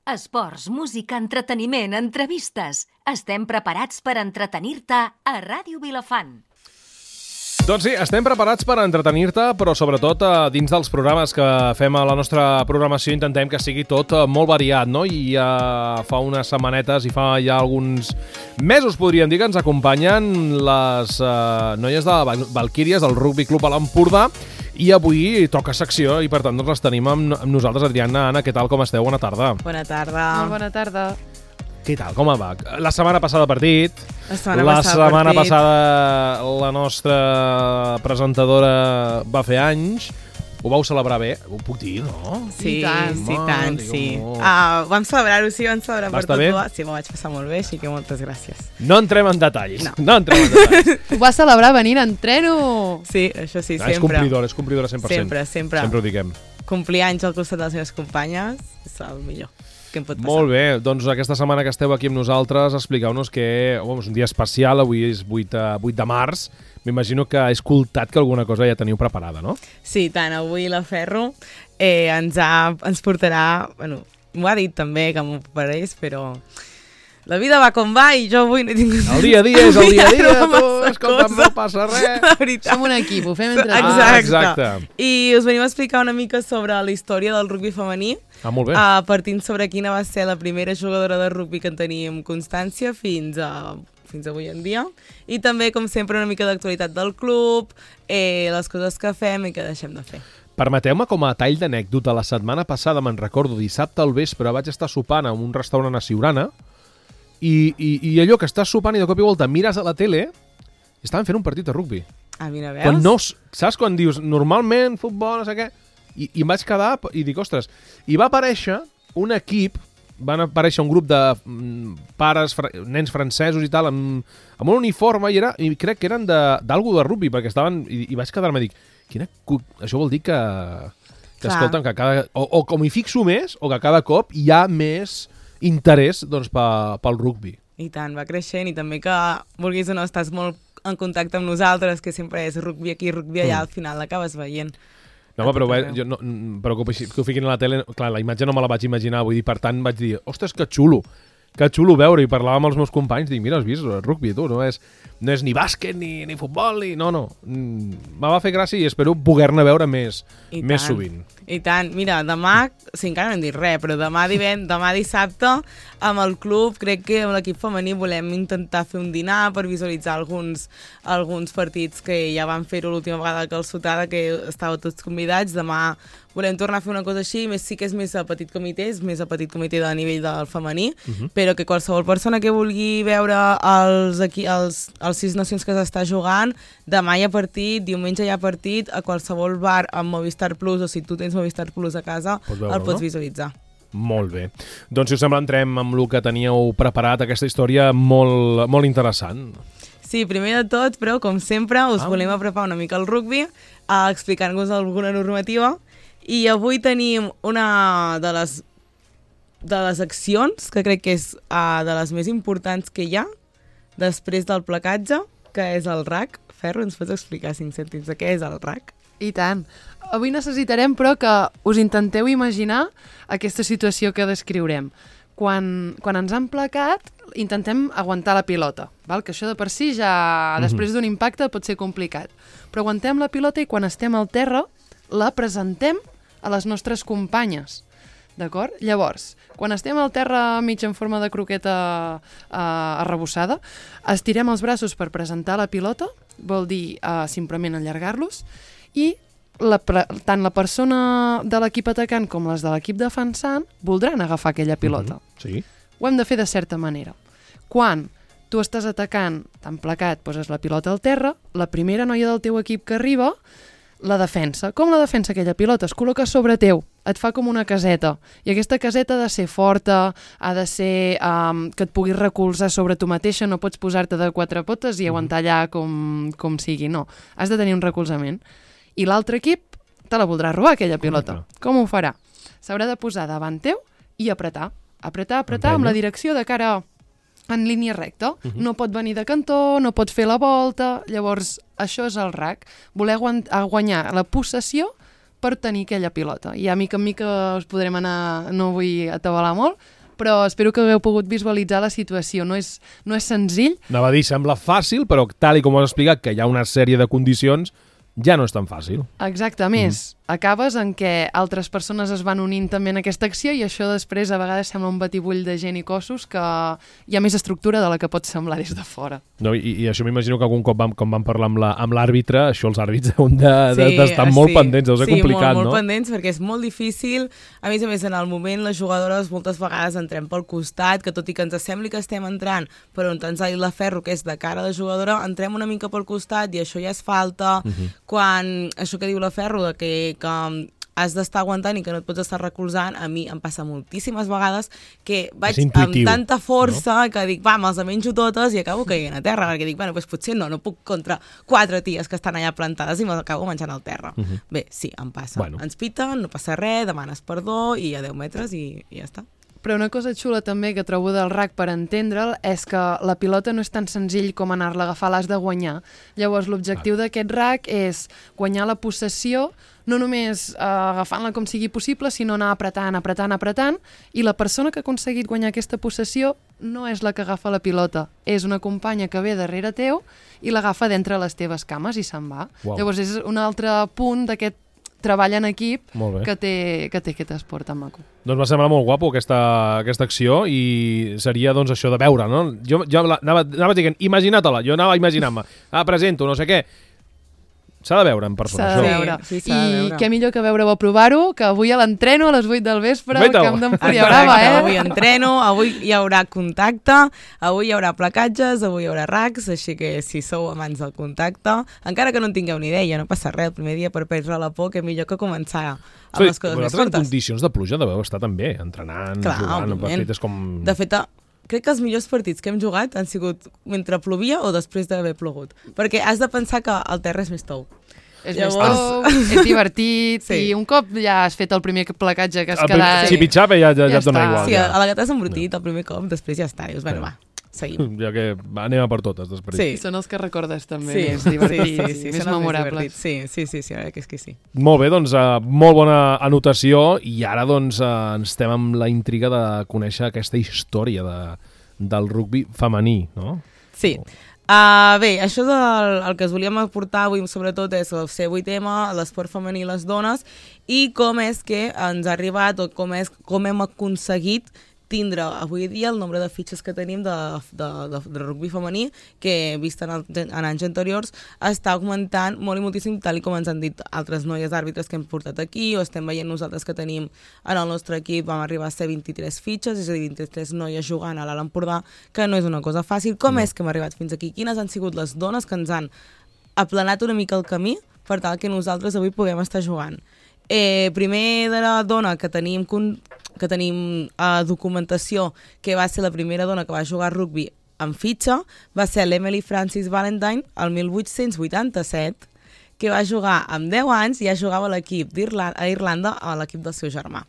Esports, música, entreteniment, entrevistes. Estem preparats per entretenir-te a Ràdio Vilafant. Doncs sí, estem preparats per entretenir-te, però sobretot dins dels programes que fem a la nostra programació intentem que sigui tot molt variat, no? I fa unes setmanetes i fa ja alguns mesos, podríem dir, que ens acompanyen les noies de Valquíries del Rugby Club a l'Empordà i avui toca secció i per tant doncs les tenim amb nosaltres. Adriana, Anna, què tal, com esteu? Bona tarda. Bona tarda. Molt bona tarda. Què tal, com va? La setmana passada partit. La setmana passada la nostra presentadora va fer anys. Ho vau celebrar bé? Ho puc dir, no? Sí, I tant. sí. Vam celebrar-ho, sí, vam celebrar per tot. Sí, m'ho vaig passar molt bé, així que moltes gràcies. No entrem en detalls. No entrem en detalls. Ho va celebrar venint en treno. Sí, això sí, sempre. És complidora 100%. Sempre. Sempre ho diguem. Complir anys al costat de les meves companyes és el millor que em pot passar. Molt bé, doncs aquesta setmana que esteu aquí amb nosaltres, expliqueu-nos que és un dia especial, avui és 8 de març. M'imagino que he escoltat que alguna cosa ja teniu preparada, no? Sí, tant, avui la Ferro ens portarà, bueno, m'ho ha dit també que m'ho preparés, però la vida va com va i jo avui no he tingut... El dia a dia és el dia a dia, tu, escolta'm, no passa res. La veritat. Som un equip, ho fem entre Exacte. Exacte. I us venim a explicar una mica sobre la història del rugby femení, Molt bé. partint sobre quina va ser la primera jugadora de rugby que en teníem constància fins avui en dia, i també, com sempre, una mica d'actualitat del club, les coses que fem i que deixem de fer. Permeteu-me com a tall d'anècdota, la setmana passada, me'n recordo, dissabte al vespre, vaig estar sopant en un restaurant a Siurana i allò que estàs sopant i de cop i volta mires a la tele i estaven fent un partit de rugby. Mira, veus? Quan no, saps quan dius, normalment, futbol, no sé què, i em vaig quedar i dic, ostres, i va aparèixer un equip, van aparèixer un grup de pares, nens francesos i tal, amb un uniforme, i crec que eren d'algú de rugby, perquè estaven, i vaig quedar-me, dic, això vol dir que escolta'm, que o com hi fixo més, o que cada cop hi ha més interès doncs, pel rugby. I tant, va creixent, i també que vulguis o no, estàs molt en contacte amb nosaltres, que sempre és rugby aquí, rugby allà, al final l'acabes veient. No, però que ho fiquin a la tele, clar, la imatge no me la vaig imaginar, vull dir, per tant vaig dir, ostres, que xulo veure, i parlava amb els meus companys, dic, mira, has vist el rugby, tu, no és ni bàsquet, ni futbol, no. Me va fer gràcia i espero poder-ne veure més sovint. I tant, mira, demà, encara no hem dit res, però demà dissabte, amb el club, crec que amb l'equip femení volem intentar fer un dinar per visualitzar alguns partits que ja van fer-ho l'última vegada que el Sotada, que estàveu tots convidats. Demà volem tornar a fer una cosa així, sí que és més a petit comitè, de nivell del femení, però que qualsevol persona que vulgui veure els 6 nacions que s'està jugant, demà hi ha partit, diumenge hi ha partit, a qualsevol bar amb Movistar Plus, o si tu tens Movistar Plus a casa, el pots visualitzar. Molt bé. Doncs, si us sembla, entrem amb el que teníeu preparat, aquesta història molt, molt interessant. Sí, primer de tot, però, com sempre, us volem apropar una mica al rugby, explicant-vos alguna normativa, i avui tenim una de les accions, que crec que és de les més importants que hi ha, després del placatge, que és el RAC. Ferro, ens pots explicar 5 cèntims de què és el RAC? I tant. Avui necessitarem, però, que us intenteu imaginar aquesta situació que descriurem. Quan ens han placat, intentem aguantar la pilota, val? Que això de per si ja, després d'un impacte, pot ser complicat. Però aguantem la pilota i quan estem al terra, la presentem a les nostres companyes. D'acord? Llavors, quan estem al terra mig en forma de croqueta arrebossada, estirem els braços per presentar la pilota, vol dir simplement allargar-los, i tant la persona de l'equip atacant com les de l'equip defensant voldran agafar aquella pilota. Sí. Ho hem de fer de certa manera. Quan tu estàs atacant, tan placat, poses la pilota al terra, la primera noia del teu equip que arriba la defensa. Com la defensa aquella pilota? Es col·loca sobre teu, et fa com una caseta. I aquesta caseta ha de ser forta, ha de ser que et puguis recolzar sobre tu mateixa, no pots posar-te de 4 potes i aguantar allà com sigui, no. Has de tenir un recolzament. I l'altre equip te la voldrà robar, aquella pilota. Com ho farà? S'haurà de posar davant teu i apretar. Apretar amb la direcció de cara en línia recta. No pot venir de cantó, no pot fer la volta. Llavors, això és el RAC. Voler guanyar la possessió per tenir aquella pilota. I a mica en mica us podrem anar, no vull atabalar molt, però espero que hagueu pogut visualitzar la situació. No és senzill. Anava a dir, sembla fàcil, però tal i com ho has explicat, que hi ha una sèrie de condicions, ja no és tan fàcil. Exacte, a més, acabes en què altres persones es van unint també en aquesta acció i això després a vegades sembla un batibull de gent i cossos que hi ha més estructura de la que pot semblar des de fora. No, i això m'imagino que algun cop quan vam parlar amb l'àrbitre, això els àrbits deuen d'estar molt pendents, deu ser complicat, no? Sí, molt pendents, perquè és molt difícil. A més, en el moment, les jugadores moltes vegades entrem pel costat, que tot i que ens sembli que estem entrant per on ens ha dit la Ferro, que és de cara a la jugadora, entrem una mica pel costat i això ja és falta. Quan això que diu la Ferro, que has d'estar aguantant i que no et pots estar recolzant, a mi em passa moltíssimes vegades que vaig amb tanta força, no? Que dic, me'ls menjo totes i acabo caient a terra, perquè dic, doncs potser no puc contra 4 ties que estan allà plantades i me'ls acabo menjant al terra. Bé, sí, em passa. Ens piten, no passa res, demanes perdó i a 10 metres i ja està. Però una cosa xula també que trobo del RAC per entendre'l és que la pilota no és tan senzill com anar-la a agafar, l'has de guanyar. Llavors l'objectiu d'aquest RAC és guanyar la possessió, no només agafant-la com sigui possible, sinó anar apretant, i la persona que ha aconseguit guanyar aquesta possessió no és la que agafa la pilota, és una companya que ve darrere teu i l'agafa d'entre les teves cames i se'n va. Llavors és un altre punt d'aquest treball en equip que té aquest esport tan maco. Doncs va semblar molt guapo aquesta acció i seria doncs això de veure, no? Jo anava dient, imagina-te-la, jo anava a imaginar-me, presento, no sé què. S'ha de veure en persona, això. S'ha de veure. Sí, i què millor que veure-ho a provar-ho, que avui a l'entreno a les 8 del vespre al camp d'Empúria Brava, Avui entreno, avui hi haurà contacte, avui hi haurà placatges, avui hi haurà racks, així que si sou amants del contacte, encara que no en tingueu ni idea, no passa res, el primer dia per perdre la por, que millor que començar amb les coses més fortes. En condicions de pluja deveu estar també, entrenant, jugant, perfectes com... De fet, crec que els millors partits que hem jugat han sigut mentre plovia o després d'haver plogut. Perquè has de pensar que el terra és més tou. És és divertit i un cop ja has fet el primer placatge que has quedat... Si pitjava ja et dona igual. Sí, a la que t'has embrutit el primer cop, després ja està. Dius, va, seguim. Ja que anem a per totes després. Sí, són els que recordes també més divertits, més memorables. Sí, que és que sí. Molt bé, doncs molt bona anotació i ara doncs estem amb la intriga de conèixer aquesta història del rugbi femení, no? Sí. Bé, això el que us volíem aportar avui sobretot és el C8M, l'esport femení i les dones i com és que ens ha arribat o com hem aconseguit tindre avui dia el nombre de fitxes que tenim de rugbi femení que, vist en anys anteriors, està augmentant molt i moltíssim, tal com ens han dit altres noies àrbitres que hem portat aquí o estem veient nosaltres que tenim en el nostre equip, vam arribar a ser 23 fitxes, és a dir, 23 noies jugant a l'Alt Empordà, que no és una cosa fàcil. Com és que hem arribat fins aquí? Quines han sigut les dones que ens han aplanat una mica el camí per tal que nosaltres avui puguem estar jugant? Primer de la dona que tenim documentació, que va ser la primera dona que va jugar rugbi en fitxa, va ser l'Emily Francis Valentine el 1887, que va jugar amb 10 anys i ja jugava a l'equip a Irlanda a l'equip del seu germà.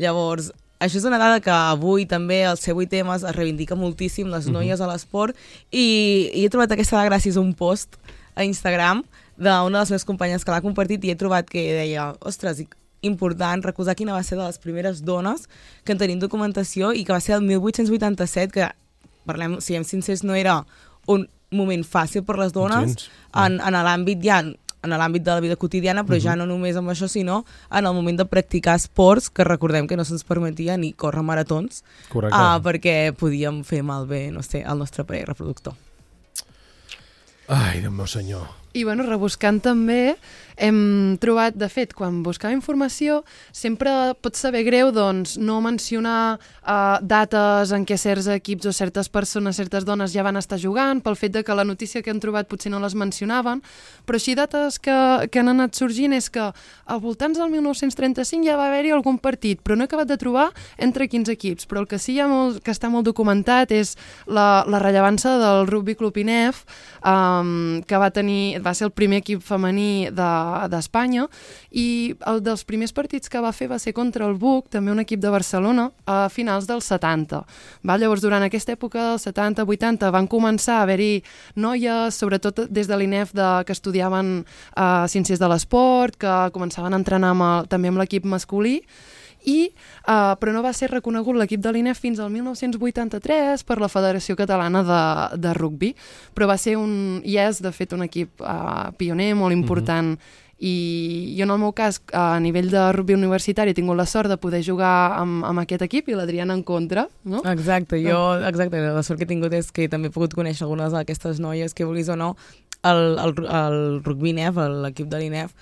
Llavors, això és una dada que avui també el C8M es reivindica moltíssim les noies a l'esport i he trobat aquesta dada gràcies a un post a Instagram d'una de les meves companyes que l'ha compartit i he trobat que deia, ostres, important recordar quina va ser de les primeres dones que en tenim documentació i que va ser el 1887, que, parlem, siguem sincers, no era un moment fàcil per les dones en l'àmbit de la vida quotidiana, però ja no només amb això, sinó en el moment de practicar esports, que recordem que no se'ns permetia ni córrer maratons, perquè podíem fer malbé, no sé, el nostre aparell reproductor. Ai, Déu meu senyor. I bueno, rebuscant també hem trobat, de fet, quan buscava informació, sempre pot saber greu doncs, no mencionar dates en què certs equips o certes persones, certes dones ja van estar jugant, pel fet de que la notícia que han trobat potser no les mencionaven, però així dates que han anat sorgint és que al voltants del 1935 ja va haver-hi algun partit, però no he acabat de trobar entre quins equips, però el que sí que està molt documentat és la rellevància del Rugby Club INEF, que va ser el primer equip femení d'Espanya i el dels primers partits que va fer va ser contra el BUC, també un equip de Barcelona, a finals dels 70. Llavors, durant aquesta època dels 70-80 van començar a haver-hi noies, sobretot des de l'INEF, que estudiaven ciències de l'esport, que començaven a entrenar també amb l'equip masculí, però no va ser reconegut l'equip de l'INEF fins al 1983 per la Federació Catalana de Rugbi, però va ser i és de fet un equip pioner, molt important, i jo en el meu cas a nivell de rugbi universitari he tingut la sort de poder jugar amb aquest equip i l'Adriana en contra, no? Exacte, la sort que he tingut és que també he pogut conèixer algunes d'aquestes noies que vulguis o no, el rugbi INEF, l'equip de l'INEF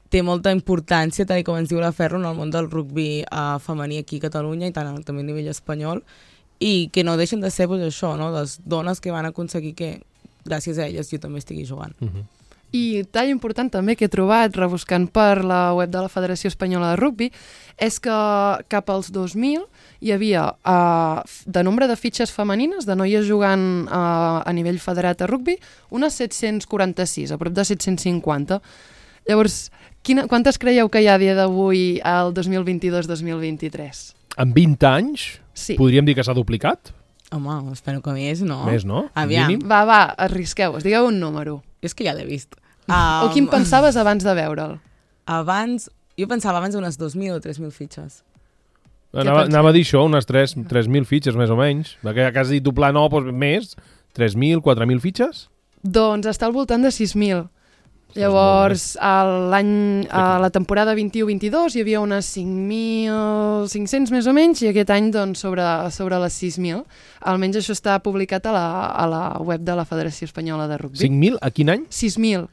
té molta importància, tal com ens diu la Ferro, en el món del rugbi femení aquí a Catalunya i també a nivell espanyol, i que no deixen de ser això, no? Les dones que van aconseguir que gràcies a elles jo també estigui jugant. I tall important també que he trobat rebuscant per la web de la Federació Espanyola de Rugbi és que cap als 2000 hi havia de nombre de fitxes femenines, de noies jugant a nivell federat a rugbi, unes 746, a prop de 750. Llavors, quantes creieu que hi ha a dia d'avui al 2022-2023? En 20 anys podríem dir que s'ha duplicat? Home, espero que més, no? Més, no? Aviam. Va, arrisqueu-vos, digueu un número. És que ja l'he vist. O quin pensaves abans de veure'l? Jo pensava abans unes 2.000 o 3.000 fitxes. Anava a dir això, unes 3.000 fitxes més o menys. Que has dit doblar, no, doncs més. 3.000, 4.000 fitxes? Doncs està al voltant de 6.000. Llavors, a la temporada 21-22 hi havia unes 5.500 més o menys i aquest any doncs, sobre les 6.000. Almenys això està publicat a la web de la Federació Espanyola de Rugbi. 5.000? A quin any? 6.000.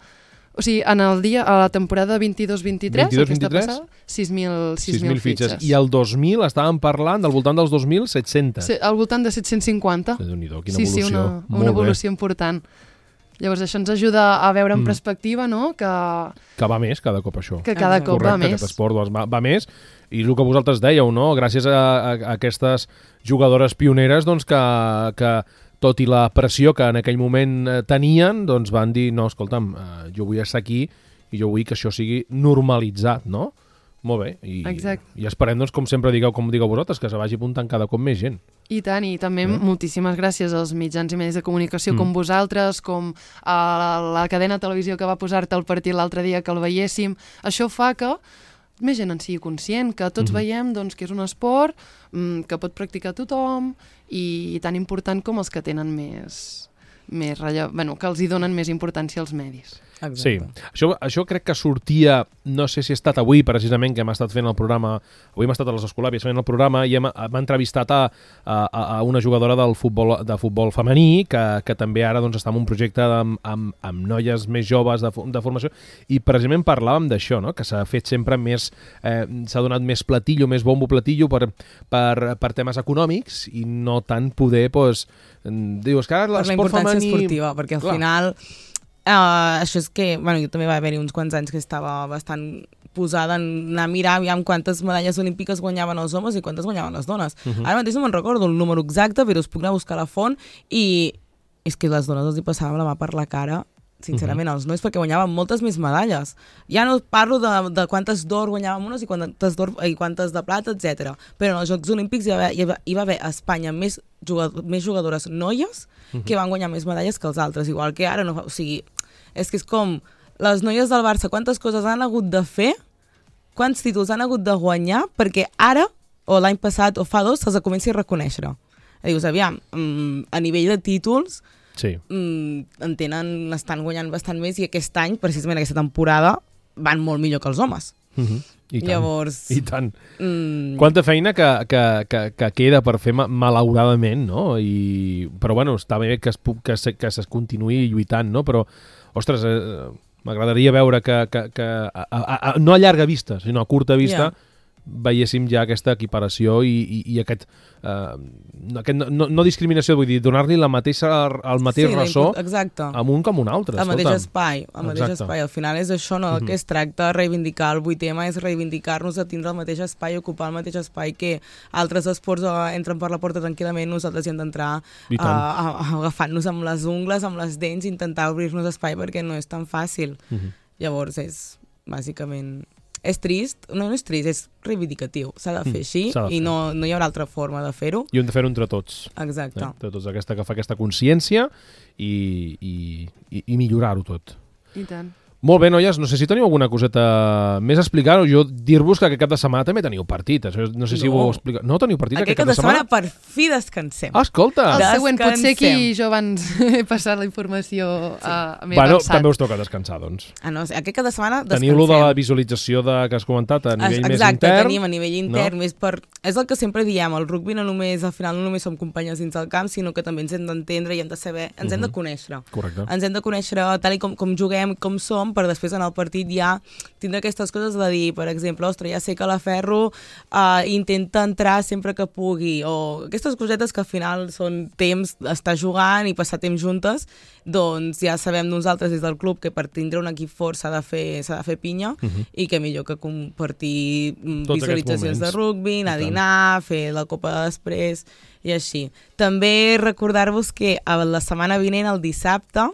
O sigui, a la temporada 22-23, aquesta passada, 6.000 fitxes. I el 2000 estàvem parlant del voltant dels 2.700. Al voltant de 750. Déu-n'hi-do, quina evolució. Sí, una evolució important. Llavors això ens ajuda a veure en perspectiva, no? Que va més cada cop això. Que cada cop va més. Aquest esport va més i el que vosaltres dèieu, no? Gràcies a aquestes jugadores pioneres doncs, que tot i la pressió que en aquell moment tenien, doncs van dir, no, escolta'm, jo vull estar aquí i jo vull que això sigui normalitzat, no? Molt bé. I esperem, doncs, com sempre digueu vosaltres, que se vagi apuntant cada cop més gent. I tant, i també moltíssimes gràcies als mitjans i medis de comunicació com vosaltres, com a la cadena de televisió que va posar-te el partit l'altre dia que el veiéssim. Això fa que més gent en sigui conscient, que tots veiem doncs, que és un esport que pot practicar tothom i tan important com els que tenen que els hi donen més importància als medis. Exacte. Sí, això crec que sortia, no sé si ha estat avui precisament que hem estat fent el programa, avui hem estat a les Escolàpies fent el programa i hem entrevistat a una jugadora de futbol femení que també ara doncs, està en un projecte amb noies més joves de formació i precisament parlàvem d'això, no? Que s'ha fet sempre més, s'ha donat més platillo, més bombo platillo per temes econòmics i no tant poder, doncs, dius que ara l'esport femení... Per la importància esportiva, perquè al final... això és que, jo també va haver-hi uns quants anys que estava bastant posada en anar a mirar aviam quantes medalles olímpiques guanyaven els homes i quantes guanyaven les dones. Ara mateix no me'n recordo el número exacte, però us puc anar a buscar la font i és que les dones els hi passàvem la mà per la cara, sincerament, als nois, perquè guanyaven moltes més medalles. Ja no parlo de quantes d'or guanyàvem unes i quantes de plata, etc. Però en els Jocs Olímpics hi va haver a Espanya més jugadores noies que van guanyar més medalles que els altres, igual que ara no. O sigui, és que és com les noies del Barça, quantes coses han hagut de fer, quants títols han hagut de guanyar perquè ara, o l'any passat, o fa 2, se'ls comenci a reconèixer. Dius, aviam, a nivell de títols estan guanyant bastant més i aquest any, precisament aquesta temporada, van molt millor que els homes. I tant. Llavors... I tant. Quanta feina que queda per fer malauradament, no? Però bueno, està bé que es continuï lluitant, no? Però, ostres, m'agradaria veure que no a llarga vista, sinó a curta vista, veiéssim ja aquesta equiparació i aquest no discriminació, vull dir, donar-li el mateix ressò a un com a un altre. El mateix espai. Al final és això, no? Que es tracta de reivindicar. El 8 tema és reivindicar-nos de tindre el mateix espai, ocupar el mateix espai que altres esports entren per la porta tranquil·lament, nosaltres hi hem d'entrar agafant-nos amb les ungles, amb les dents, intentar obrir-nos espai perquè no és tan fàcil. Llavors és, bàsicament... És trist, no és trist, és reivindicatiu. S'ha de fer així i no hi haurà altra forma de fer-ho. I hem de fer-ho entre tots. Exacte. Entre tots, que fa aquesta consciència i millorar-ho tot. I tant. Molt bé, noies, no sé si teniu alguna coseta més a explicar, o jo dir-vos que aquest cap de setmana també teniu partit. Això no sé si ho explico. No teniu partit aquest cap de setmana? Per fi descansem. Ah, escolta! El següent potser que jo abans he passat la informació més avançat. També us toca descansar, doncs. No, aquest cap de setmana descansem. Teniu lo de la visualització que has comentat a nivell més intern. Exacte, tenim a nivell intern. És el que sempre diem, el rugby al final no només som companyes dins del camp, sinó que també ens hem d'entendre i hem de saber, ens hem de conèixer. Correcte. Ens hem de conèixer tal com juguem, com som, per després en el partit ja tindre aquestes coses de dir, per exemple, ostres, ja sé que la Ferro intenta entrar sempre que pugui, o aquestes cosetes que al final són temps d'estar jugant i passar temps juntes, doncs ja sabem nosaltres des del club que per tindre un equip fort s'ha de fer pinya i que millor que compartir visualitzacions de rugby, anar a dinar, fer la copa després i així. També recordar-vos que la setmana vinent, el dissabte,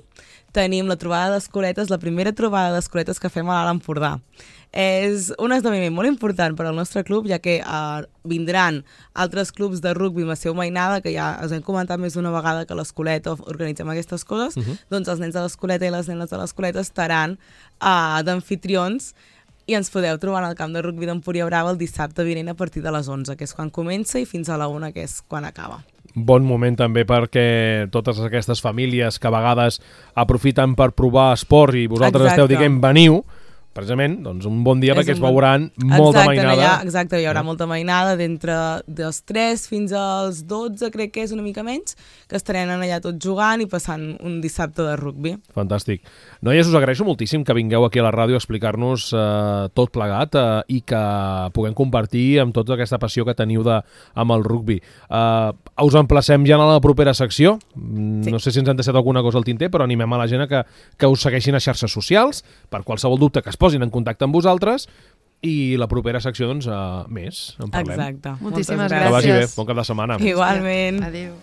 tenim la trobada d'escoletes, la primera trobada d'escoletes que fem a l'Alt Empordà. És un esdeveniment molt important per al nostre club, ja que vindran altres clubs de rugby amb la seva mainada, que ja us hem comentat més d'una vegada que l'escoleta organitzem aquestes coses, doncs els nens de l'escoleta i les nenes de l'escoleta estaran d'anfitrions i ens podeu trobar al camp de rugby d'Empúria Brava el dissabte vinent a partir de les 11, que és quan comença, i fins a la 1, que és quan acaba. Bon moment també perquè totes aquestes famílies que a vegades aprofiten per provar esport i vosaltres esteu dient veniu, precisament, doncs un bon dia perquè es veuran molta mainada. Exacte, hi haurà molta mainada d'entre dels 3 fins als 12, crec que és una mica menys, que estarem allà tots jugant i passant un dissabte de rugby. Fantàstic. Noies, us agraeixo moltíssim que vingueu aquí a la ràdio a explicar-nos tot plegat i que puguem compartir amb tota aquesta passió que teniu amb el rugby. Us emplacem ja a la propera secció. No sé si ens han deixat alguna cosa al tinter, però animem a la gent que us segueixin a xarxes socials per qualsevol dubte que es posin en contacte amb vosaltres, i la propera secció, doncs, més, en parlem. Exacte. Moltíssimes gràcies. Que vagi bé, bon cap de setmana. Igualment. Adéu.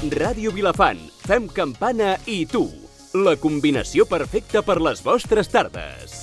Ràdio Vilafant, fem campana i tu. La combinació perfecta per les vostres tardes.